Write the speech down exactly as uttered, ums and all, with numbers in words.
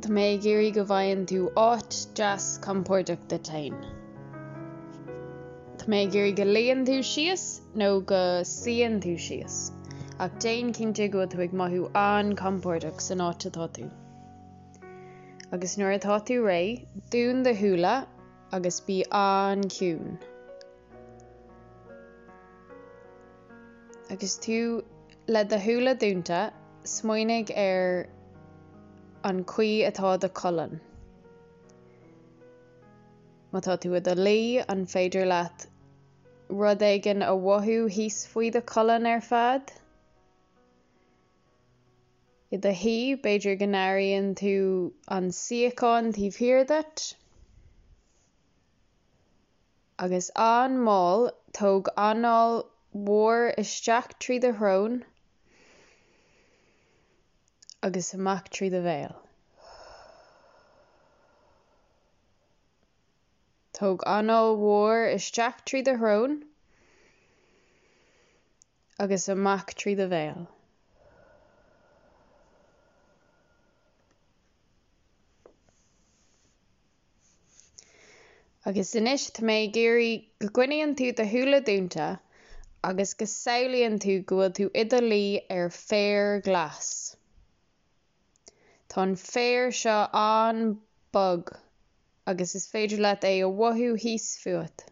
Tá mé ag iarraidh go bhfaigheann tú áit deas compordach duit féin. Tá mé ag iarraidh go luíonn tú síos nó go suíonn tú síos, ach déan cinnte go bhfuil tú ag mothú an-compordach san áit atá tú. Agus nuair atá tú réidh, dún do shúile agus bí an-chiúin. Agus tú le do shúile dúnta, smaoinigh ar an chaoi atá do cholainn. Má tá tú i do luí, an féidir leat rud éigin a mhothú thíos faoi do cholainn ar fad? I do shuí, b'fhéidir go n-airíonn tú an suíochán taobh thiar díot? Agus an-mhall, tóg anáil mhór isteach trí do shrón agus amach trí do bhéal. Tóg anáil mhór isteach trí do shrón agus amach trí do bhéal. Agus anois tá mé ag iarraidh go gcoinníonn tú do shúile dúnta agus go samhlaíonn tú go bhfuil tú i do luí ar féar glas. Tá an féar seo an-bhog agus is féidir leat é a mhothú thíos fút.